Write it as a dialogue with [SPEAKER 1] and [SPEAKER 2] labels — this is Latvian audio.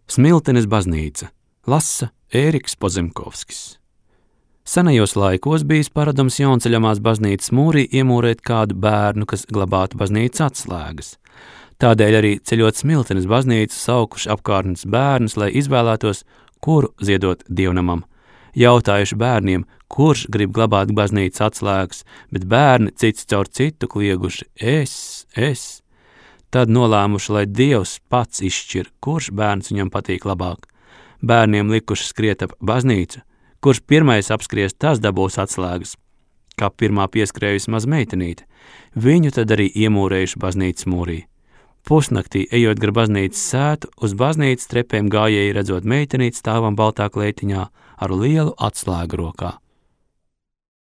[SPEAKER 1] Smiltenes baznīca, lasa Ēriks Pozemkovskis. Senajos laikos bijis paradums Jaunceļamās baznīcas mūrī iemūrēt kādu bērnu, kas glabātu baznīcas atslēgas. Tādēļ arī ceļot Smiltenes baznīcu saukuši apkārtnes bērnus, lai izvēlētos, kuru ziedot dievnamam. Jautājuši bērniem, kurš grib glabāt baznīcas atslēgas, bet bērni cits caur citu klieguši es. Tad nolēmuši, lai Dievs pats izšķir, kurš bērns viņam patīk labāk. Bērniem likuši skriet ap baznīcu, kurš pirmais apskries, tas dabūs atslēgas. Kā pirmā pieskrējusi maz meitenīte, viņu tad arī iemūrējuši baznīcas mūrī. Pusnaktī, ejot gar baznīcas sētu, uz baznīcas trepēm gājēji redzot meitenīti stāvam baltā kleitiņā ar lielu atslēgu rokā.